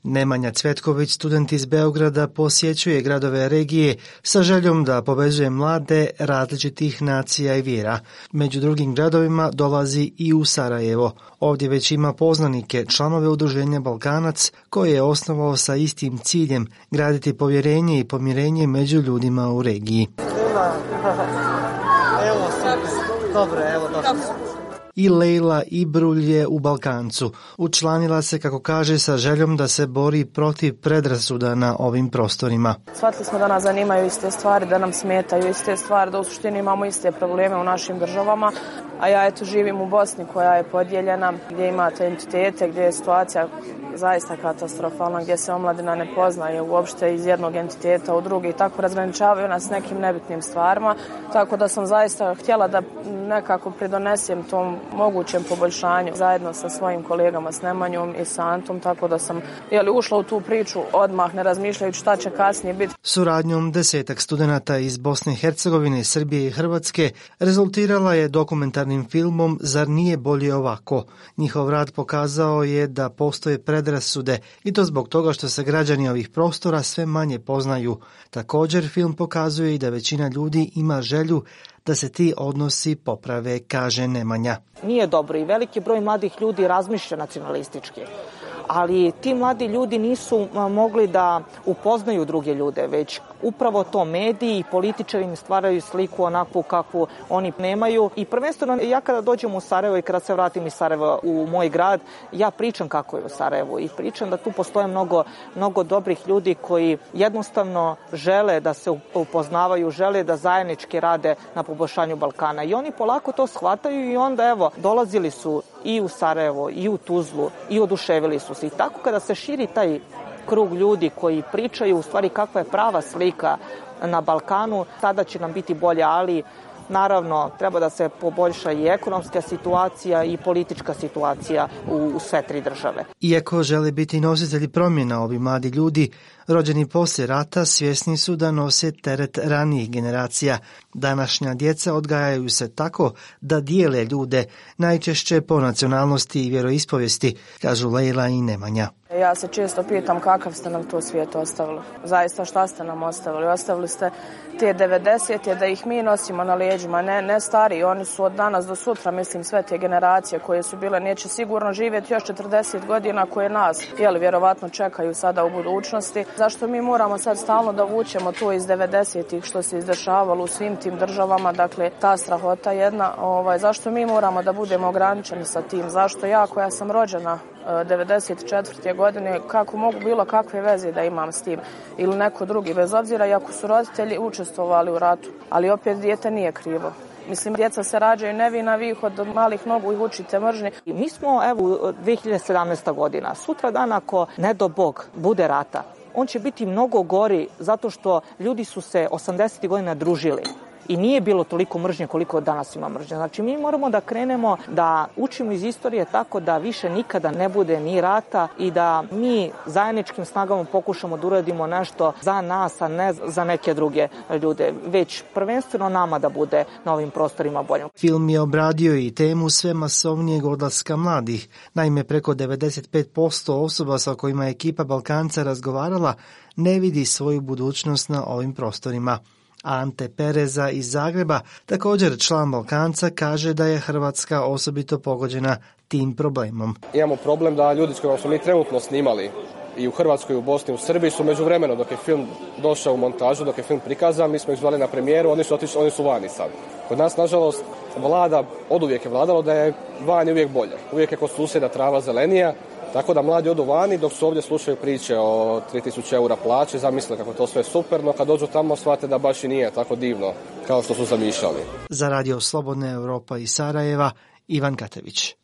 Nemanja Cvetković, student iz Beograda, posjećuje gradove regije sa željom da povezuje mlade različitih nacija i vjera. Među drugim gradovima dolazi i u Sarajevo. Ovdje već ima poznanike, članove udruženja Balkanac, koje je osnovao sa istim ciljem graditi povjerenje i pomirenje među ljudima u regiji. I Lejla Ibrulj je u Balkancu. Učlanila se, kako kaže, sa željom da se bori protiv predrasuda na ovim prostorima. Shvatili smo da nas zanimaju iste stvari, da nam smetaju iste stvari, da u suštini imamo iste probleme u našim državama, a ja živim u Bosni koja je podijeljena, gdje imate entitete, gdje je situacija zaista katastrofalna, gdje se omladina ne poznaje uopšte iz jednog entiteta u drugi i tako razgraničavaju nas s nekim nebitnim stvarima, tako da sam zaista htjela da nekako pridonesem tom mogućem poboljšanju zajedno sa svojim kolegama, s Nemanjom i sa Antom, tako da sam ušla u tu priču odmah, ne razmišljajući šta će kasnije biti. Suradnjom 10 studenata iz Bosne i Hercegovine, Srbije i Hrvatske rezultirala je dokumentarnim filmom Zar nije bolje ovako? Njihov rad pokazao je da postoje predrasude i to zbog toga što se građani ovih prostora sve manje poznaju. Također film pokazuje i da većina ljudi ima želju da se ti odnosi poprave, kaže Nemanja. Nije dobro i veliki broj mladih ljudi razmišlja nacionalistički, ali ti mladi ljudi nisu mogli da upoznaju druge ljude, već upravo to mediji i političari im stvaraju sliku onakvu kakvu oni nemaju. I prvenstveno ja kada dođem u Sarajevo i kada se vratim iz Sarajeva u moj grad, ja pričam kako je u Sarajevu i pričam da tu postoje mnogo dobrih ljudi koji jednostavno žele da se upoznavaju, žele da zajednički rade na poboljšanju Balkana. I oni polako to shvataju i onda dolazili su i u Sarajevo i u Tuzlu i oduševili su se. I tako kada se širi taj krug ljudi koji pričaju u stvari kakva je prava slika na Balkanu, tada će nam biti bolje, ali naravno treba da se poboljša i ekonomska situacija i politička situacija u sve tri države. Iako žele biti nositelji promjena, ovi mladi ljudi rođeni poslije rata svjesni su da nose teret ranijih generacija. Današnja djeca odgajaju se tako da dijele ljude, najčešće po nacionalnosti i vjeroispovijesti, kažu Lejla i Nemanja. Ja se često pitam kakav ste nam to svijet ostavili. Zaista šta ste nam ostavili? Ostavili ste te 90-te da ih mi nosimo na leđima, ne stariji. Oni su od danas do sutra, mislim, sve te generacije koje su bile, neće sigurno živjeti još 40 godina koje nas, vjerovatno čekaju sada u budućnosti. Zašto mi moramo sad stalno da vučemo to iz 90-ih što se izdešavalo u svim tim državama, dakle ta strahota jedna, zašto mi moramo da budemo ograničeni sa tim? Zašto ja koja sam rođena 94. godine, kako mogu bilo kakve veze da imam s tim ili neko drugi, bez obzira iako su roditelji učestvovali u ratu, ali opet dijete nije krivo. Mislim, djeca se rađaju nevina, vi ih od malih nogu ih učite mržnje. Mi smo, 2017. godina, sutra dan ako, ne do Bog, bude rata, on će biti mnogo gori zato što ljudi su se 80. godina družili. I nije bilo toliko mržnje koliko danas ima mržnje. Znači mi moramo da krenemo da učimo iz istorije tako da više nikada ne bude ni rata i da mi zajedničkim snagama pokušamo da uradimo nešto za nas, a ne za neke druge ljude, već prvenstveno nama da bude na ovim prostorima bolje. Film je obradio i temu sve masovnijeg odlaska mladih. Naime, preko 95% osoba sa kojima je ekipa Balkanca razgovarala ne vidi svoju budućnost na ovim prostorima. Ante Pereza iz Zagreba, također član Balkanca, kaže da je Hrvatska osobito pogođena tim problemom. Imamo problem da ljudi s kojima smo mi trenutno snimali i u Hrvatskoj, i u Bosni, i u Srbiji su međuvremeno, dok je film došao u montažu, dok je film prikazan, mi smo ih zvali na premijeru, oni su vani sad. Kod nas, nažalost, oduvijek je vladalo da je vani uvijek bolje. Uvijek je kod susjeda trava zelenija, tako da mladi odu vani dok su ovdje slušaju priče o 3000 eura plaće, zamisle kako to sve super, no kad dođu tamo shvate da baš i nije tako divno kao što su zamišljali. Za Radio Slobodna Europa iz Sarajeva, Ivan Katević.